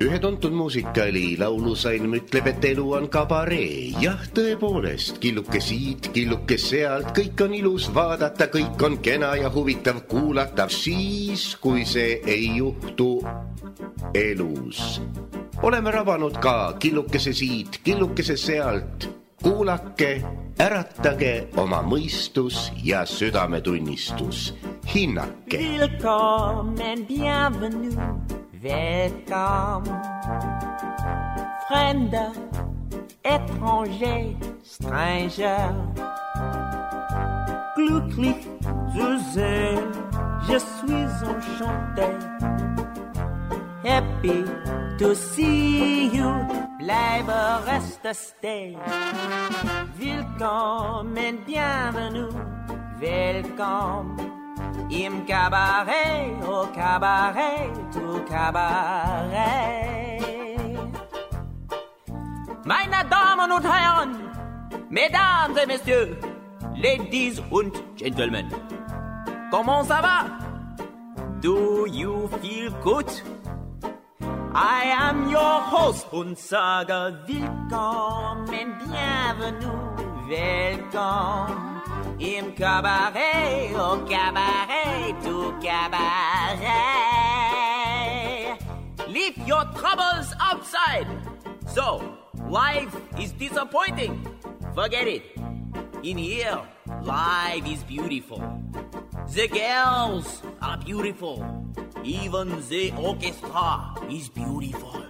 Ühe tuntud muusikali laulusalm ütleb, et elu on kabaree. Jah, tõepoolest, killuke siit, killuke sealt, kõik on ilus vaadata, kõik on kena ja huvitav kuulata. Siis, kui see ei juhtu elus. Oleme rabanud ka killukese siit, killukese sealt. Kuulake, äratage oma mõistus ja südametunnistus. Hinnake. Willkommen, bienvenue. Welcome, Fremder, étranger, stranger. Glücklich zu sehen, je suis enchanté. Happy to see you, bleibe reste stay. Willkommen, bienvenue, welcome. Im Cabaret, au Cabaret, au Cabaret. Meine Damen und Herren, Mesdames et Messieurs, Ladies und Gentlemen, comment ça va? Do you feel good? I am your host und sage willkommen, bienvenue, welcome. Im Cabaret, au Cabaret, au Cabaret. Leave your troubles outside. So, life is disappointing. Forget it. In here, life is beautiful. The girls are beautiful. Even the orchestra is beautiful.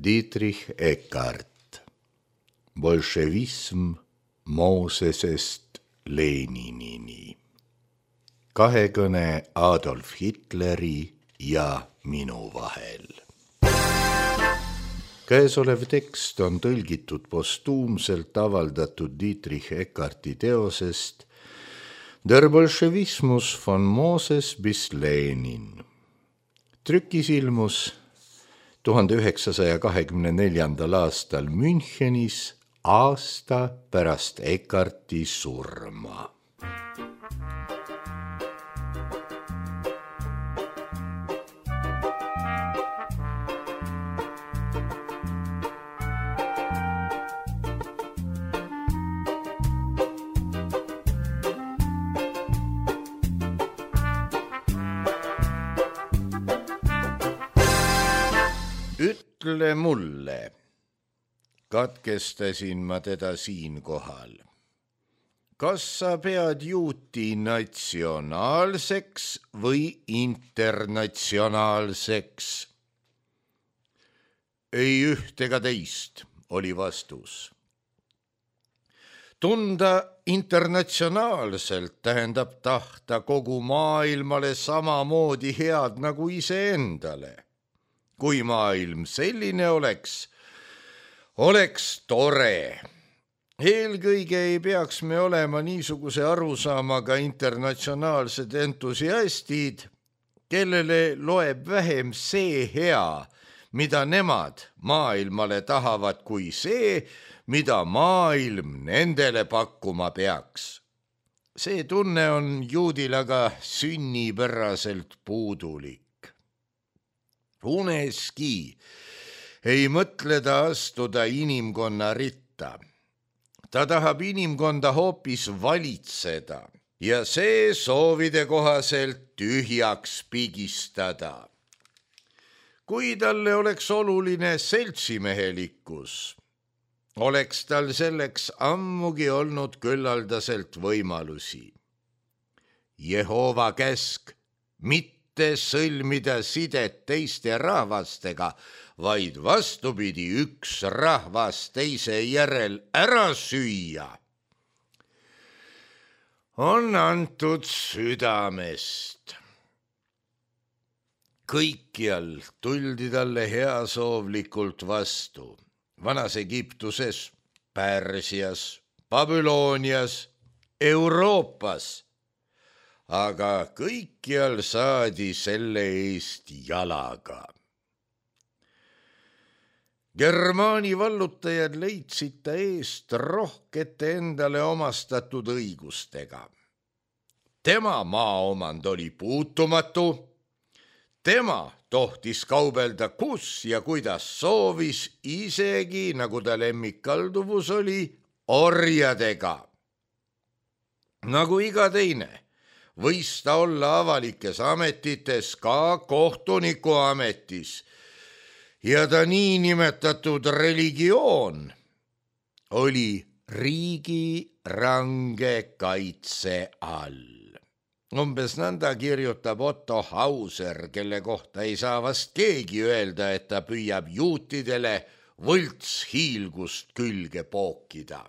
Dietrich Eckart. Bolševism Moosesest Leninini. Kahekõne Adolf Hitleri ja minu vahel. Käesolev tekst on tõlgitud postuumselt avaldatud Dietrich Eckarti teosest Der Bolschewismus von Moses bis Lenin. Trükis ilmus 1924. aastal Münchenis, aasta pärast Eckarti surma. Ütle mulle, katkestasin ma teda siinkohal. Kas sa pead juuti natsionaalseks või internatsionaalseks? Ei üht ega teist, oli vastus. Tunda internatsionaalselt tähendab tahta kogu maailmale samamoodi head nagu iseendale. Kui maailm selline oleks tore. Eelkõige ei peaks me olema niisuguse arusaamaga internatsionaalsed entusiastid, kellele loeb vähem see hea, mida nemad maailmale tahavad, kui see, mida maailm nendele pakkuma peaks. See tunne on juudil aga sünnipäraselt puudulik. Uneski ei mõtle ta astuda inimkonna ritta. Ta tahab inimkonda hoopis valitseda ja see soovide kohaselt tühjaks pigistada. Kui talle oleks oluline seltsimehelikkus, oleks tal selleks ammugi olnud küllaldaselt võimalusi. Jehova käsk mitte sõlmida sidet teiste rahvastega, vaid vastupidi üks rahvas teise järel ära süüa, on antud südamest. Kõikjal tuldi talle heasoovlikult vastu. Vanas Egiptuses, Pärsias, Babylonias, Euroopas, aga kõikjal saadi selle eest jalaga. Germaani vallutajad leidsid ta eest rohkete endale omastatud õigustega. Tema maaomand oli puutumatu, tema tohtis kaubelda kus ja kuidas soovis, isegi, nagu ta lemmikkalduvus oli, orjadega. Nagu iga teine, võis ta olla avalikes ametites, ka kohtuniku ametis, ja ta niinimetatud religioon oli riigi range kaitse all. Umbes nõnda kirjutab Otto Hauser, kelle kohta ei saa vast keegi öelda, et ta püüab juutidele võltshiilgust külge pookida.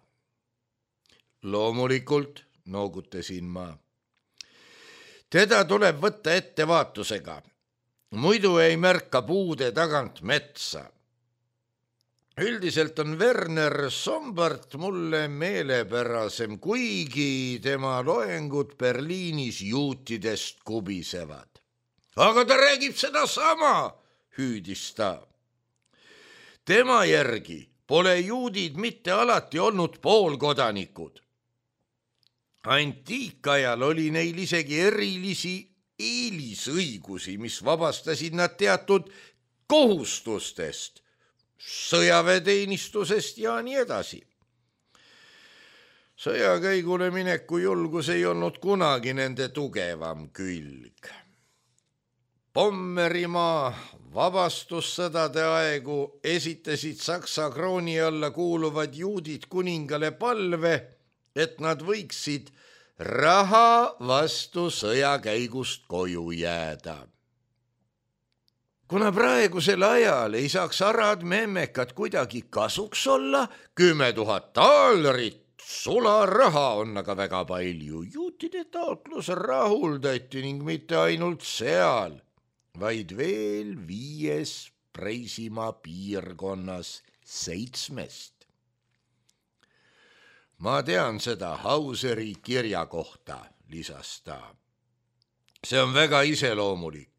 Loomulikult, noogutasin ma. Teda tuleb võtta ettevaatusega, muidu ei märka puude tagant metsa. Üldiselt on Werner Sombart mulle meelepärasem, kuigi tema loengud Berliinis juutidest kubisevad. Aga ta räägib sedasama, hüüdis ta. Tema järgi pole juudid mitte alati olnud poolkodanikud. Antiikajal oli neil isegi erilisi eelisõigusi, mis vabastasid nad teatud kohustustest, sõjaväeteenistusest ja nii edasi. Sõjakäigule mineku julgus ei olnud kunagi nende tugevam külg. Pommerimaa vabastussõdade aegu esitasid Saksa krooni alla kuuluvad juudid kuningale palve, et nad võiksid raha vastu sõjakäigust koju jääda. Kuna praegusel ajal ei saaks arad memmekad kuidagi kasuks olla, 10 000 taalerit sularaha on aga väga palju. Juutide taotlus rahuldati ning mitte ainult seal, vaid veel 5 Preisimaa piirkonnas 7. Ma tean seda Hauseri kirja kohta, lisas ta. See on väga iseloomulik.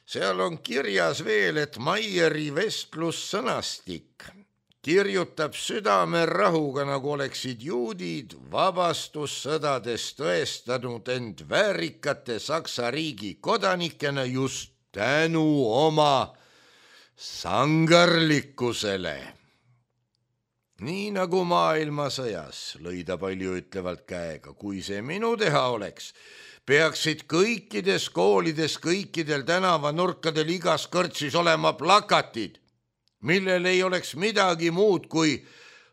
Seal on kirjas veel, et Maieri vestlussõnastik kirjutab südamerahuga, nagu oleksid juudid vabastussõdades tõestanud end väärikate Saksa riigi kodanikena just tänu oma sangarlikkusele. Nii nagu maailmasõjas, lõi ta paljuütlevalt käega, kui see minu teha oleks, peaksid kõikides koolides, kõikidel tänavanurkadel igas kõrtsis olema plakatid, millel ei oleks midagi muud kui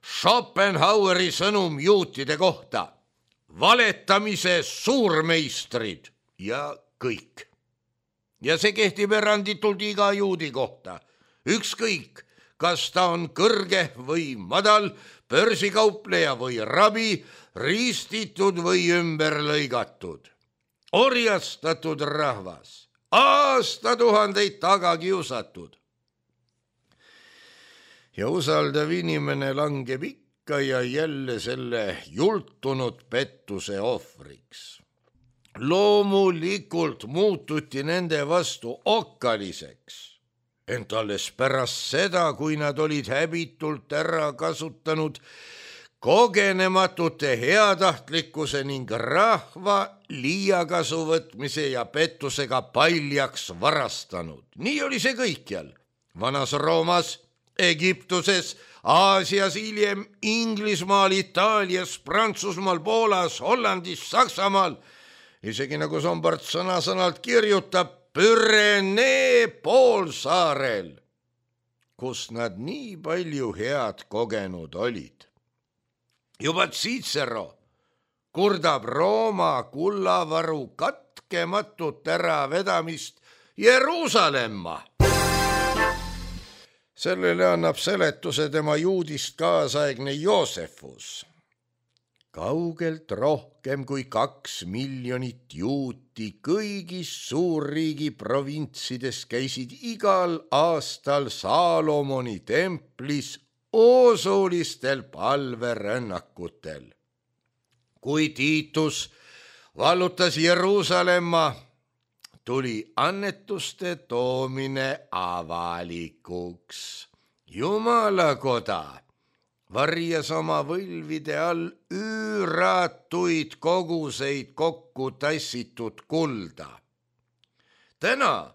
Schopenhaueri sõnum juutide kohta. Valetamise suurmeistrid ja kõik. Ja see kehtib eranditult iga juudi kohta. Ükskõik, kas ta on kõrge või madal, börsikaupleja või rabi, ristitud või ümber lõigatud. Orjastatud rahvas, aastatuhandeid taga kiusatud. Ja usaldav inimene langeb ikka ja jälle selle jultunud pettuse ohvriks. Loomulikult muututi nende vastu okkaliseks, ent alles pärast seda, kui nad olid häbitult ära kasutanud kogenematute heatahtlikkuse ning rahva liiakasu võtmise ja pettusega paljaks varastanud. Nii oli see kõikjal. Vanas Roomas, Egiptuses, Aasias, hiljem Inglismaal, Itaalias, Prantsusmaal, Poolas, Hollandis, Saksamaal, isegi nagu Sombart sõna-sõnalt kirjutab, Pürenee poolsaarel, kus nad nii palju head kogenud olid. Juba Cicero kurdab Rooma kullavaru katkematut äravedamist Jeruusalemma. Sellele annab seletuse tema juudist kaasaegne Joosefus. Kaugelt rohkem kui 2 miljonit juuti kõigis suurriigi provintsides käisid igal aastal Saalomoni templis usulistel palverännakutel. Kui Tiitus vallutas Jeruusalemma, tuli annetuste toomine avalikuks Jumalakoda varjas oma võlvide all üüratuid koguseid kokku tassitud kulda. Täna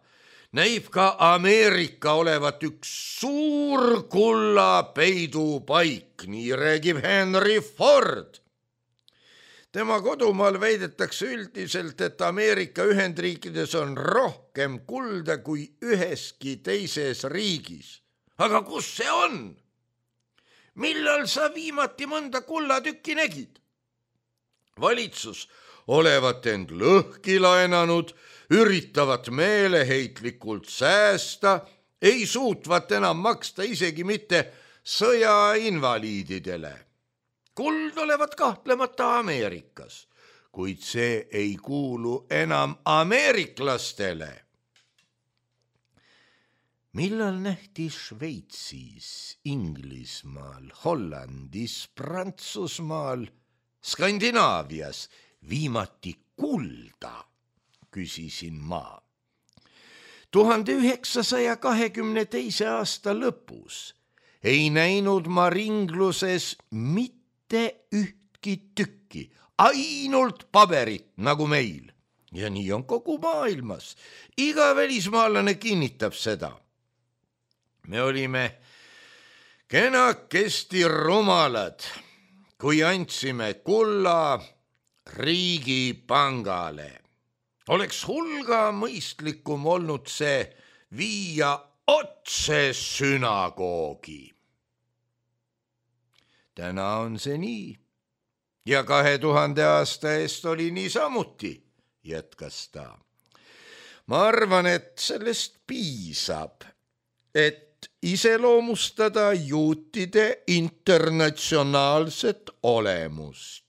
näib ka Ameerika olevat üks suur kulla peidupaik, nii räägib Henry Ford. Tema kodumaal väidetakse üldiselt, et Ameerika Ühendriikides on rohkem kulda kui üheski teises riigis. Aga kus see on? Millal sa viimati mõnda kullatükki nägid? Valitsus olevat end lõhki laenanud, üritavad meeleheitlikult säästa, ei suutvat enam maksta isegi mitte sõjainvaliididele. Kuld olevat kahtlemata Ameerikas, kuid see ei kuulu enam ameeriklastele. Millal nähti Šveitsis, Inglismaal, Hollandis, Prantsusmaal, Skandinaavias viimati kulda, küsisin ma. 1922. aasta lõpus ei näinud ma ringluses mitte ühtki tükki, ainult paberit nagu meil. Ja nii on kogu maailmas. Iga välismaalane kinnitab seda. Me olime kenakesti rumalad, kui andsime kulla Riigipangale. Oleks hulga mõistlikum olnud see viia otse sünagoogi. Täna on see nii ja 2000 aasta eest oli nii samuti, jätkas ta. Ma arvan, et sellest piisab, et iseloomustada juutide internatsionaalset olemust.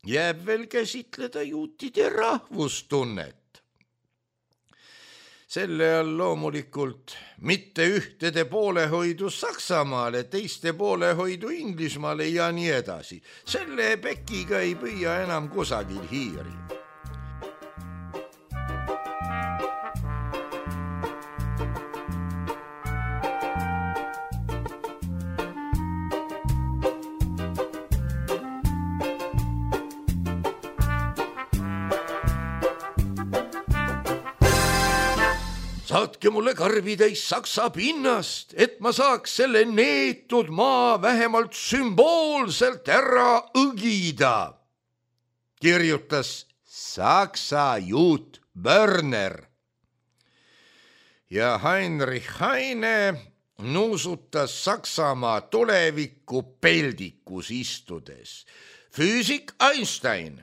Jääb veel käsitleda juutide rahvustunnet. Selle all loomulikult mitte ühtede poolehoidu Saksamaale, teiste poolehoidu Inglismaale ja nii edasi. Selle pekiga ei püüa enam kusagil hiiri. Saatke mulle karbitäis saksa pinnast, et ma saaks selle neetud maa vähemalt sümboolselt ära õgida, kirjutas saksa juut Börner. Ja Heinrich Heine nuusutas Saksamaa tulevikku peldikus istudes. Füüsik Einstein,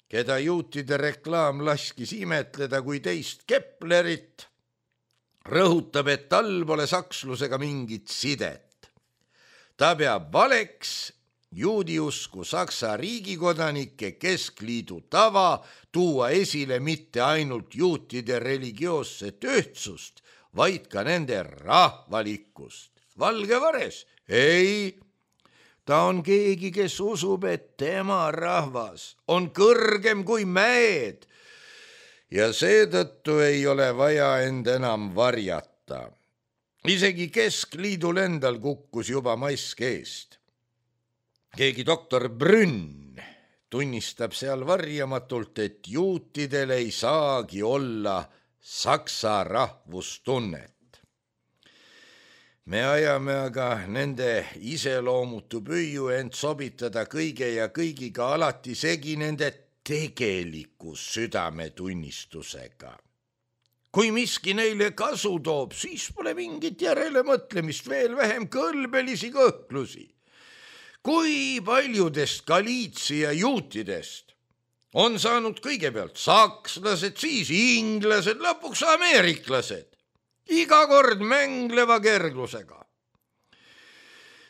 keda juutide reklaam laskis imetleda kui teist Keplerit, rõhutab, et tal pole sakslusega mingit sidet. Ta peab valeks juudiusku Saksa riigikodanike keskliidu tava tuua esile mitte ainult juutide religioosset ühtsust, vaid ka nende rahvalikkust. Valge vares? Ei, ta on keegi, kes usub, et tema rahvas on kõrgem kui mäed, ja seetõttu ei ole vaja end enam varjata. Isegi keskliidul endal kukkus juba mask eest. Keegi doktor Brünn tunnistab seal varjamatult, et juutidel ei saagi olla saksa rahvustunnet. Me ajame aga nende iseloomutu püüu end sobitada kõige ja kõigiga alati segi nende tegeliku südametunnistusega. Kui miski neile kasu toob, siis pole mingit järelemõtlemist, veel vähem kõlbelisi kõhklusi. Kui paljudest Galiitsia juutidest on saanud kõigepealt sakslased, siis inglased, lõpuks ameeriklased, iga kord mängleva kerglusega.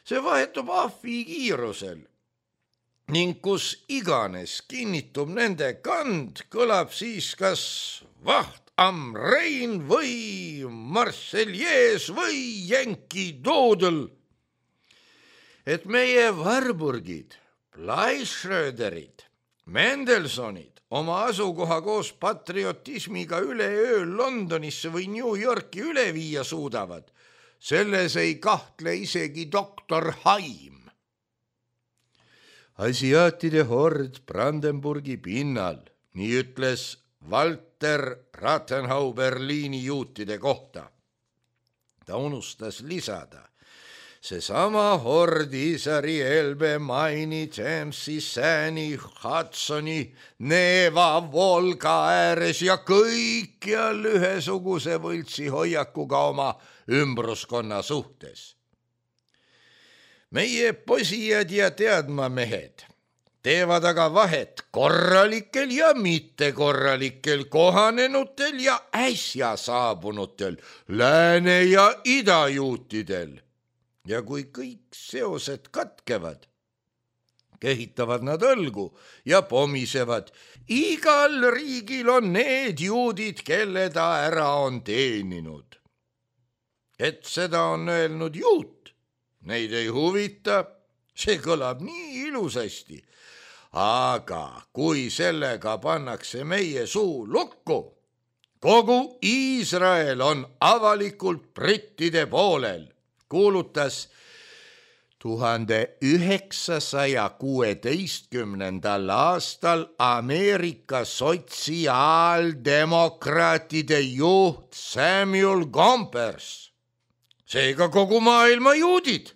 See vahetub ahvi kiirusel. Ning kus iganes kinnitub nende kand, kõlab siis kas Wacht am Rhein või Marseillaise või Yankee Doodle. Et meie Warburgid, Bleischröderid, Mendelsonid oma asukoha koos patriotismiga üleöö Londonisse või New Yorki üle viia suudavad, selles ei kahtle isegi doktor Haim. Asiaatide hord Brandenburgi pinnal, nii ütles Walter Rathenau Berliini juutide kohta. Ta unustas lisada, seesama hord Isari, Elbe, Maini, Jamesi, Sääni, Hudsoni, Neeva, Volga ääres ja kõikjal ühesuguse võltsi hoiakuga oma ümbruskonna suhtes. Meie posijad ja teadmamehed teevad aga vahet korralikel ja mittekorralikel, kohanenutel ja äsja saabunutel, lääne- ja idajuutidel. Ja kui kõik seosed katkevad, kehitavad nad õlgu ja pomisevad. Igal riigil on need juudid, kelle ta ära on teeninud. Et seda on öelnud juut, neid ei huvita, see kõlab nii ilusasti. Aga kui sellega pannakse meie suu lukku, kogu Iisrael on avalikult brittide poolel, kuulutas 1916. aastal Ameerika sotsiaaldemokraatide juht Samuel Gompers. Seega kogu maailma juudid.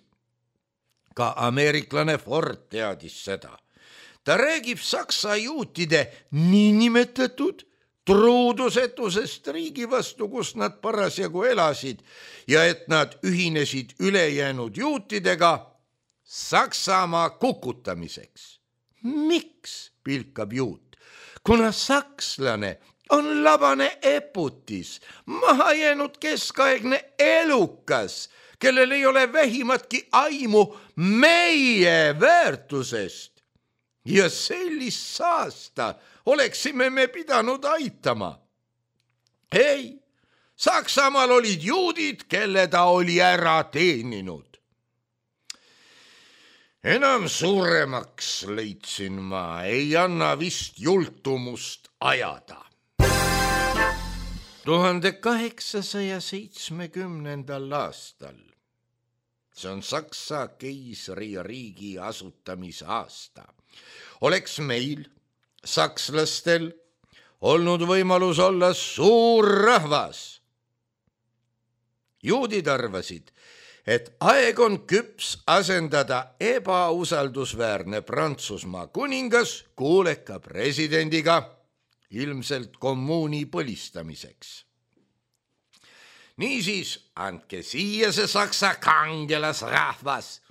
Ka ameeriklane Ford teadis seda. Ta räägib saksa juutide niinimetatud truudusetusest riigi vastu, kus nad parasjagu elasid ja et nad ühinesid ülejäänud juutidega Saksamaa kukutamiseks. Miks, pilkab juut? Kuna sakslane on labane eputis, maha jäänud keskaegne elukas, kellel ei ole vähimatki aimu meie väärtusest. Ja sellist saasta oleksime me pidanud aitama. Ei, Saksamaal olid juudid, kelle ta oli ära teeninud. Enam suuremaks, leidsin ma, ei anna vist jultumust ajada. 1870. aastal, see on Saksa keisririigi asutamise aasta, oleks meil, sakslastel, olnud võimalus olla suur rahvas. Juudid arvasid, et aeg on küps asendada ebausaldusväärne Prantsusmaa kuningas kuuleka presidendiga, ilmselt kommuuni põlistamiseks. Niisiis, andke siia see saksa kangelasrahvas.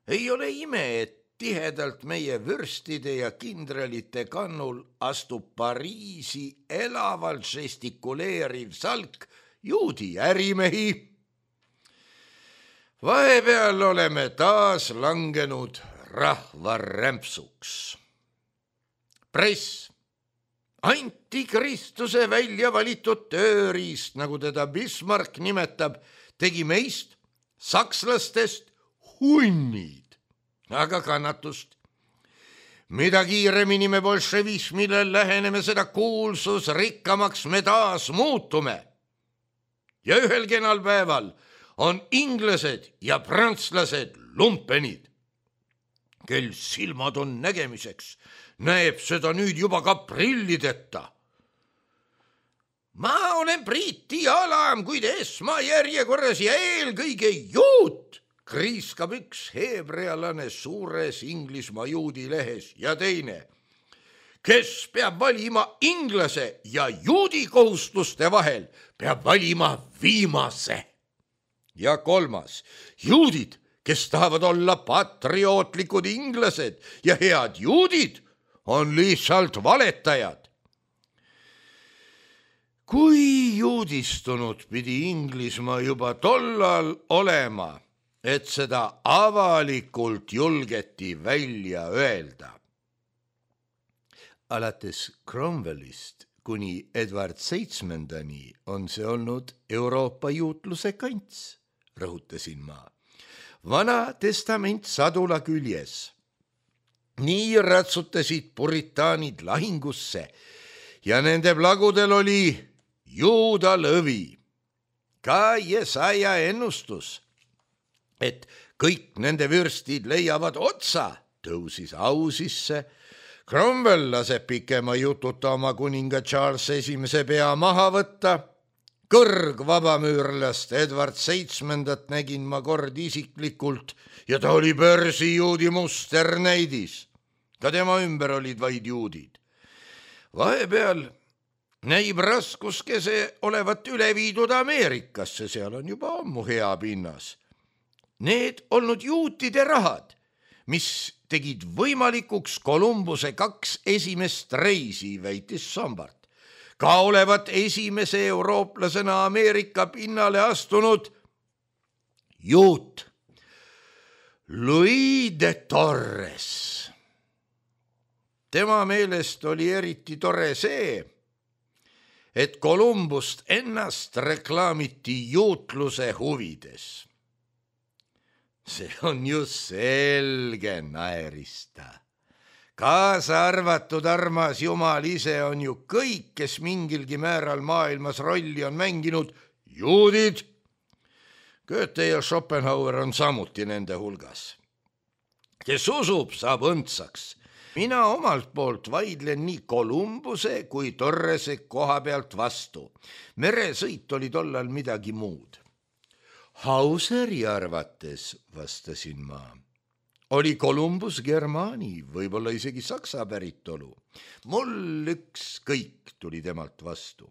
Ei ole ime, et tihedalt meie vürstide ja kindralite kannul astub Pariisi elavalt žestikuleeriv salk juudi ärimehi. Vahepeal oleme taas langenud rahvarämpsuks. Press, antikristuse välja valitud tööriist, nagu teda Bismarck nimetab, tegi meist, sakslastest, hunnid. Aga kannatust. Mida kiiremini me bolševismile läheneme, seda kuulsusrikkamaks me taas muutume. Ja ühel kenal päeval on inglased ja prantslased lumpenid. Kel silmad on nägemiseks, näeb seda nüüd juba ka prillideta. Ma olen Briti alam, kuid esmajärjekorras ja eelkõige juut, kriiskab üks heebrealane suures Inglismaa juudi lehes ja teine, kes peab valima inglase ja juudi kohustuste vahel, peab valima viimase. Ja kolmas, juudid, kes tahavad olla patriootlikud inglased ja head juudid, on lihtsalt valetajad. Kui juudistunud pidi Inglismaa juba tollal olema, et seda avalikult julgeti välja öelda. Alates Cromwellist kuni Edward VII on see olnud Euroopa juutluse kants, rõhutasin ma. Vana testament sadula küljes. Nii ratsutasid puritaanid lahingusse ja nende plagudel oli juuda lõvi. ka Jesaja ennustus, et kõik nende vürstid leiavad otsa, tõusis au sisse. Cromwell laseb pikema jututa oma kuninga Charles I pea maha võtta. Kõrgvabamüürlast Edward VII nägin ma kord isiklikult ja ta oli börsijuudi musternäidis. Ka tema ümber olid vaid juudid. Vahepeal näib raskuskese olevat üle viidud Ameerikasse, seal on juba ammu hea pinnas. Need olnud juutide rahad, mis tegid võimalikuks Kolumbuse 2 esimest reisi, väitis Sombart. Ka olevat esimese eurooplasena Ameerika pinnale astunud juut Louis de Torres. Tema meelest oli eriti tore see, et Kolumbust ennast reklaamiti juutluse huvides. See on ju selge, naeris ta. Kaasa arvatud armas Jumal ise on ju kõik, kes mingilgi määral maailmas rolli on mänginud, juudid. Goethe ja Schopenhauer on samuti nende hulgas. Kes usub, saab õndsaks. Mina omalt poolt vaidlen nii Kolumbuse kui Torrese koha pealt vastu. Meresõit oli tollal midagi muud. Hauseri arvates, vastasin ma, oli Kolumbus Germaani, võib-olla isegi saksa päritolu. Mul ükskõik, tuli temalt vastu.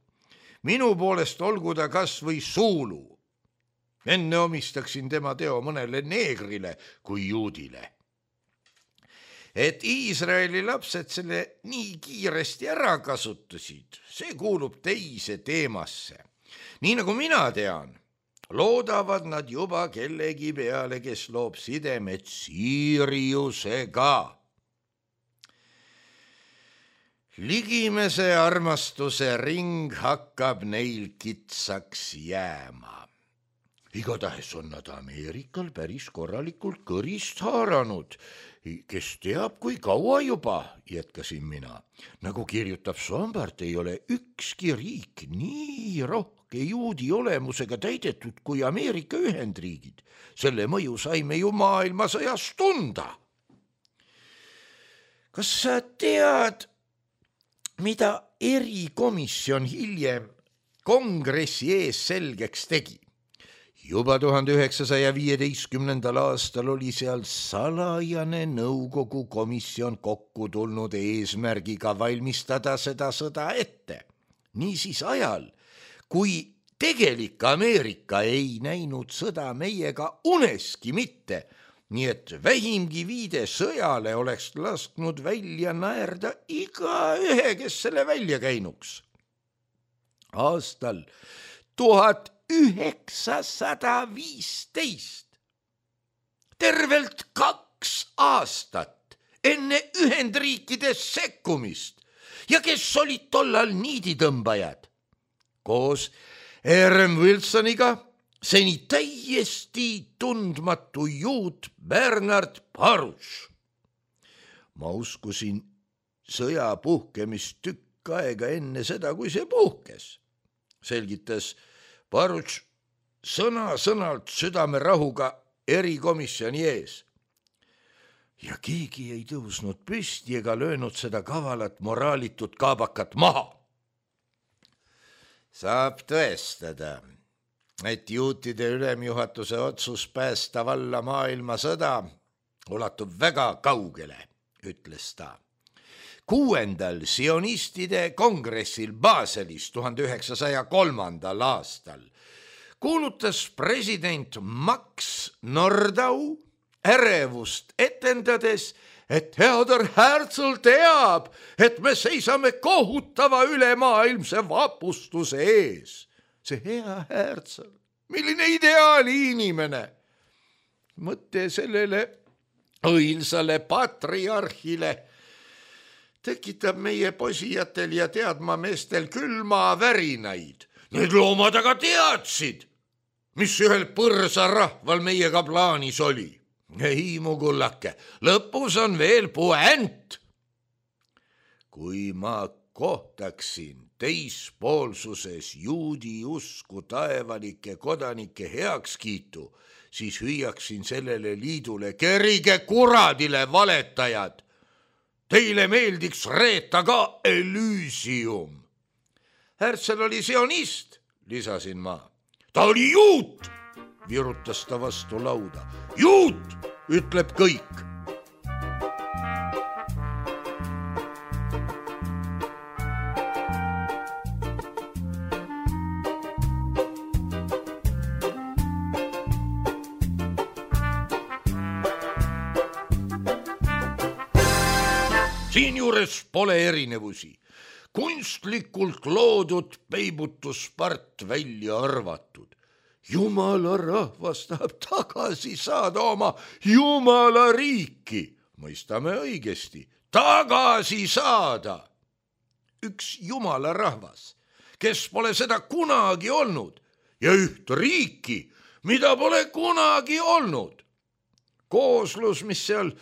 Minu poolest olgu ta kas või suulu. Enne omistaksin tema teo mõnele neegrile kui juudile. Et Iisraeli lapsed selle nii kiiresti ära kasutasid, see kuulub teise teemasse. Nii nagu mina tean, loodavad nad juba kellegi peale, kes loob sidemed Siriusega. Ligimese armastuse ring hakkab neil kitsaks jääma. Igatahes on nad Ameerikal päris korralikult kõrist haaranud. Kes teab, kui kaua juba, jätkasin mina. Nagu kirjutab Sombart, ei ole ükski riik nii rohke juudi olemusega täidetud kui Ameerika Ühendriigid. Selle mõju saime ju maailmasõjas tunda. Kas sa tead, mida erikomisjon hiljem kongressi ees selgeks tegi? Juba 1915. aastal oli seal salajane nõukogu komisjon kokku tulnud eesmärgiga valmistada seda sõda ette. Niisiis ajal, kui tegelik Ameerika ei näinud sõda meiega uneski mitte, nii et vähimgi viide sõjale oleks lasknud välja naerda igaühe, kes selle välja käinuks. Aastal 1915, tervelt 2 aastat enne Ühendriikides sekkumist ja kes olid tollal niiditõmbajad, koos R.M. Wilsoniga seni täiesti tundmatu juut Bernard Baruch. Ma uskusin sõja puhkemist tükk aega enne seda, kui see puhkes, selgitas Baruch sõna-sõnalt südamerahuga erikomisjoni ees. Ja keegi ei tõusnud püsti ega löönud seda kavalat moraalitut kaabakat maha. Saab tõestada, et juutide ülemjuhatuse otsus päästa valla maailmasõda ulatub väga kaugele, ütles ta. 6. sionistide kongressil Baselis 1903. aastal kuulutas president Max Nordau ärevust etendades, et Theodor Herzl teab, et me seisame kohutava ülemaailmse vapustuse ees. See hea Herzl, milline ideaali inimene! Mõte sellele õilsale patriarhile tekitab meie posijatel ja teadmameestel külma värinaid. Need loomad aga teadsid, mis ühel põrsarahval meiega plaanis oli. Ei, mu kullake, lõpus on veel puänt. Kui ma kohtaksin teispoolsuses juudi usku taevalike kodanike heakskiitu, siis hüüaksin sellele liidule: kerige kuradile, valetajad! Teile meeldiks reeta ka Elysium. Herzl oli sionist, lisasin ma. Ta oli juut, virutas ta vastu lauda. Juut, ütleb kõik. Siinjuures pole erinevusi. Kunstlikult loodud peibutuspart välja arvatud. Jumala rahvas tahab tagasi saada oma Jumala riiki. Mõistame õigesti. Tagasi saada. Üks Jumala rahvas, kes pole seda kunagi olnud, ja üht riiki, mida pole kunagi olnud. Kooslus, mis seal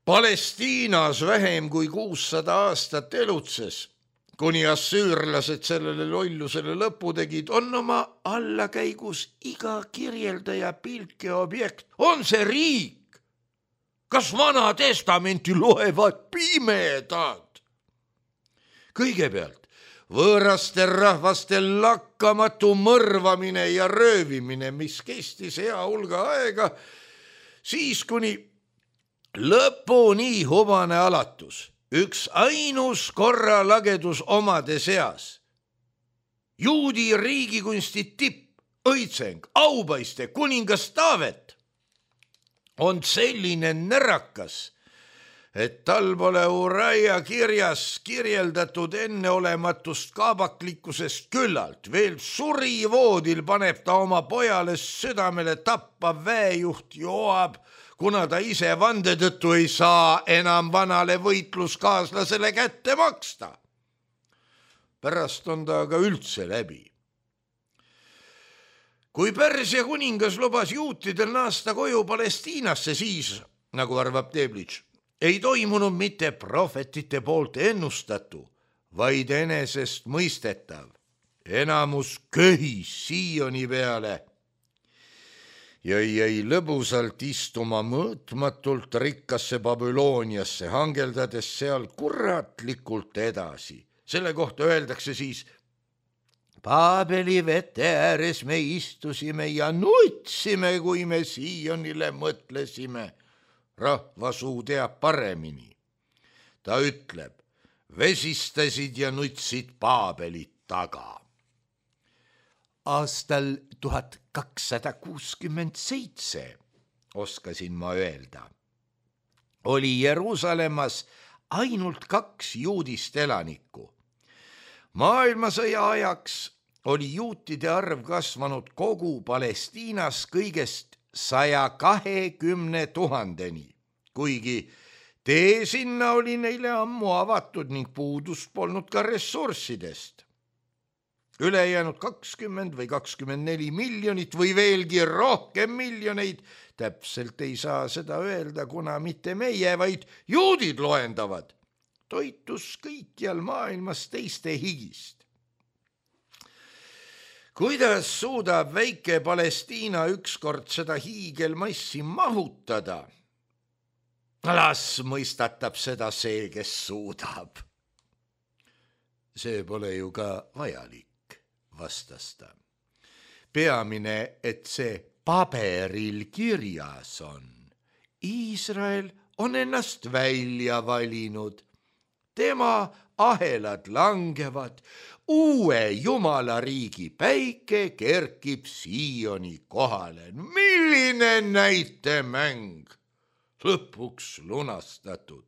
Palestiinas vähem kui 600 aastat elutses, kuni assüürlased sellele lollusele lõpu tegid, on oma allakäigus iga kirjeldaja pilke objekt. On see riik? Kas Vana Testamenti loevad pimedad? Kõigepealt võõraste rahvaste lakkamatu mõrvamine ja röövimine, mis kestis hea hulga aega, siis kuni lõpuni hubane alatus, üks ainus korralagedus omade seas. Juudi riigikunsti tipp, õitseng, aupaiste, kuningas Taavet on selline närakas, et tal pole Uraia kirjas kirjeldatud enneolematust kaabaklikkusest küllalt. Veel surivoodil paneb ta oma pojale südamele tappa väejuht Joab, kuna ta ise vande tõttu ei saa enam vanale võitluskaaslasele kätte maksta. Pärast on ta aga üldse läbi. Kui Pärsia kuningas lubas juutidel naasta koju Palestiinasse, siis, nagu arvab Teblitš, ei toimunud mitte prohvetite poolt ennustatu, vaid enesest mõistetav. Enamus köhis Sioni peale ja jäi lõbusalt istuma mõõtmatult rikkasse Babyloniasse, hangeldades seal kuratlikult edasi. Selle kohta öeldakse siis: Paabeli vete ääres me istusime ja nutsime, kui me Sionile mõtlesime. Rahvasuu teab paremini. Ta ütleb: vesistasid ja nutsid Paabelit taga. Aastal 1267, oskasin ma öelda, oli Jeruusalemmas ainult 2 juudist elanikku. Maailmasõja ajaks oli juutide arv kasvanud kogu Palestiinas kõigest 120 000-ni, kuigi tee sinna oli neile ammu avatud ning puudust polnud ka ressurssidest. Ülejäänud 20 või 24 miljonit või veelgi rohkem miljoneid, täpselt ei saa seda öelda, kuna mitte meie, vaid juudid loendavad, toitus kõikjal maailmas teiste higist. Kuidas suudab väike Palestiina ükskord seda hiigelmassi mahutada? Las mõistatab seda see, kes suudab. See pole ju ka vajalik, vastas ta. Peamine, et see paberil kirjas on. Iisrael on ennast välja valinud. Tema ahelad langevad, uue Jumala riigi päike kerkib Sioni kohale. Milline näitemäng! Lõpuks lunastatud.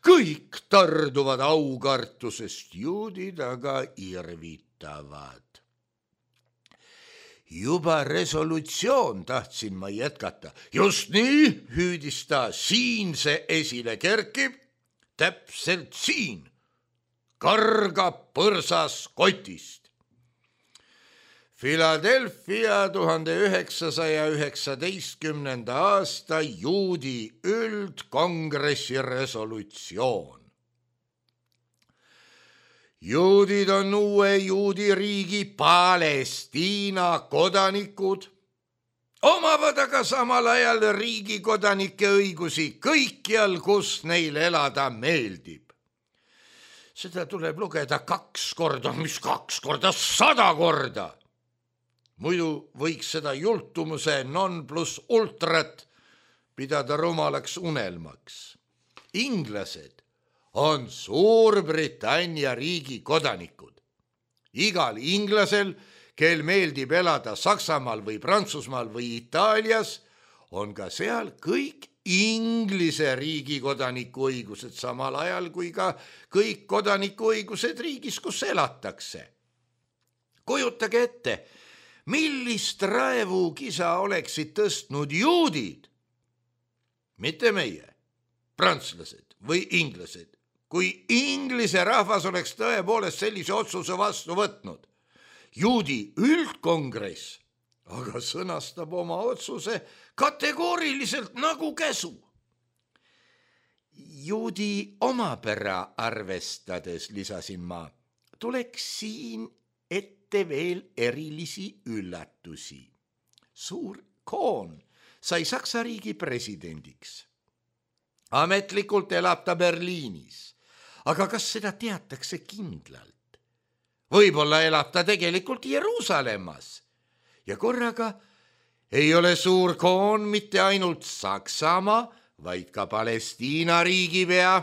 Kõik tarduvad aukartusest, juudid aga irvitavad. Juba resolutsioon, tahtsin ma jätkata. Just nii, hüüdis ta, siin see esile kerkib, täpselt siin, kargab põrsas kotist. Philadelphia 1919. aasta juudi üldkongressi resolutsioon. juudid on uue juudi riigi Palestiina kodanikud, omavad aga samal ajal riigi kodanike õigusi kõikjal, kus neil elada meeldib. Seda tuleb lugeda 2 korda, mis 2 korda, 100 korda. Muidu võiks seda jultumuse non plus ultrat pidada rumalaks unelmaks. Inglased on Suurbritannia riigi kodanikud. Igal inglasel, kel meeldib elada Saksamaal või Prantsusmaal või Itaalias, on ka seal kõik Inglise riigi kodanikuõigused samal ajal kui ka kõik kodanikuõigused riigis, kus elatakse. Kujutage ette, millist raevukisa oleksid tõstnud juudid, mitte meie, prantslased või inglased, kui Inglise rahvas oleks tõepoolest sellise otsuse vastu võtnud. Juudi üldkongress aga sõnastab oma otsuse kategooriliselt nagu käsu. Juudi omapära arvestades, lisasin ma, tuleks siin ette veel erilisi üllatusi. Suur Kohn sai Saksa riigi presidendiks. Ametlikult elab ta Berliinis, aga kas seda teatakse kindlalt? Võib-olla elab ta tegelikult Jeruusalemmas ja korraga ei ole Suur Kohn mitte ainult Saksamaa, vaid ka Palestiina riigipea.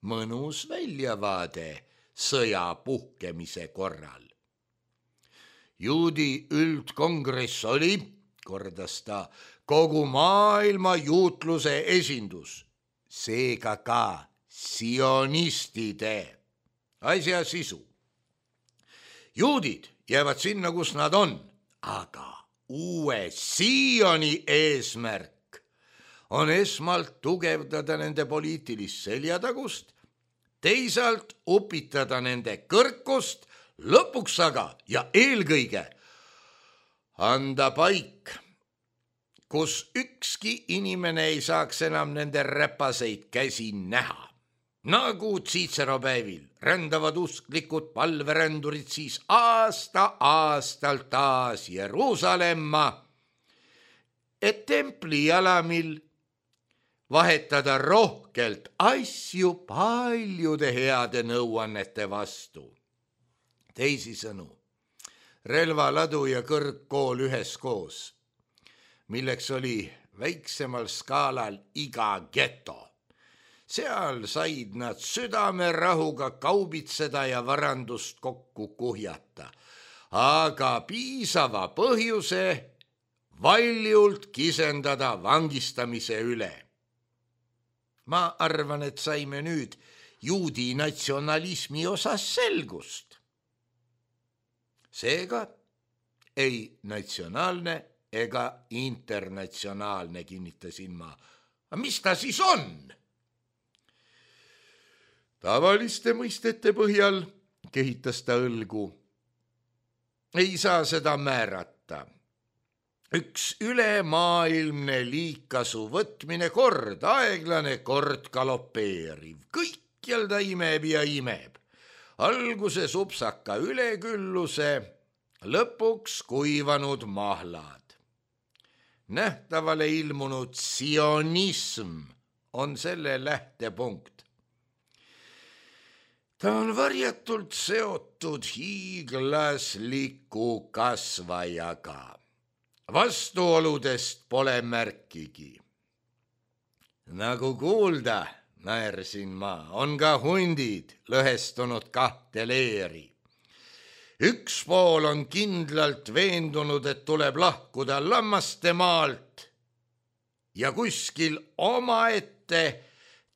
Mõnus väljavaade sõja puhkemise korral. Juudi üldkongress oli, kordas ta, kogu maailma juutluse esindus, seega ka sionistide. Asja sisu. Juudid jäävad sinna, kus nad on, aga uue Sioni eesmärk on esmalt tugevdada nende poliitilist seljatagust, teisalt upitada nende kõrkust, lõpuks aga ja eelkõige anda paik, kus ükski inimene ei saaks enam nende räpaseid käsi näha. Nagu Cicero päevil rändavad usklikud palverändurid siis aasta-aastalt taas Jeruusalemma, et templi jalamil vahetada rohkelt asju paljude heade nõuannete vastu. Teisisõnu, relvaladu ja kõrgkool üheskoos, milleks oli väiksemal skaalal iga geto. Seal said nad südamerahuga kaubitseda ja varandust kokku kuhjata, aga piisava põhjuse valjult kisendada vangistamise üle. Ma arvan, et saime nüüd juudi natsionalismi osas selgust. Seega ei natsionaalne ega internatsionaalne, kinnitasin ma. Mis ta siis on? Tavaliste mõistete põhjal, kehitas ta õlgu, ei saa seda määrata. Üks ülemaailmne liigkasu võtmine, kord aeglane, kord galopeeriv. Kõikjal ta imeb ja imeb. Alguses upsaka ülekülluse, lõpuks kuivanud mahlad. Nähtavale ilmunud sionism on selle lähtepunkt. Ta on varjatult seotud hiiglasliku kasvajaga. Vastuoludest pole märkigi. Nagu kuulda, naersin ma, on ka hundid lõhestunud 2 leeri. Üks pool on kindlalt veendunud, et tuleb lahkuda lammaste maalt ja kuskil omaette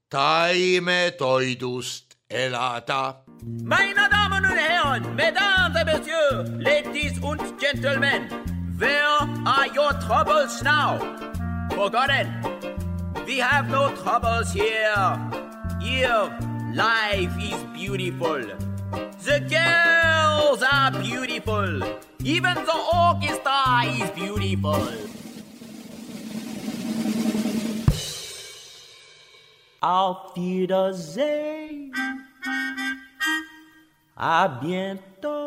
taimetoidust elada. Meine Damen und Herren, Mesdames et Messieurs, Ladies und Gentlemen, where are your troubles now? Forgotten. We have no troubles here. Here, life is beautiful. The girls are beautiful. Even the orchestra is beautiful. Auf Wiedersehen. À bientôt.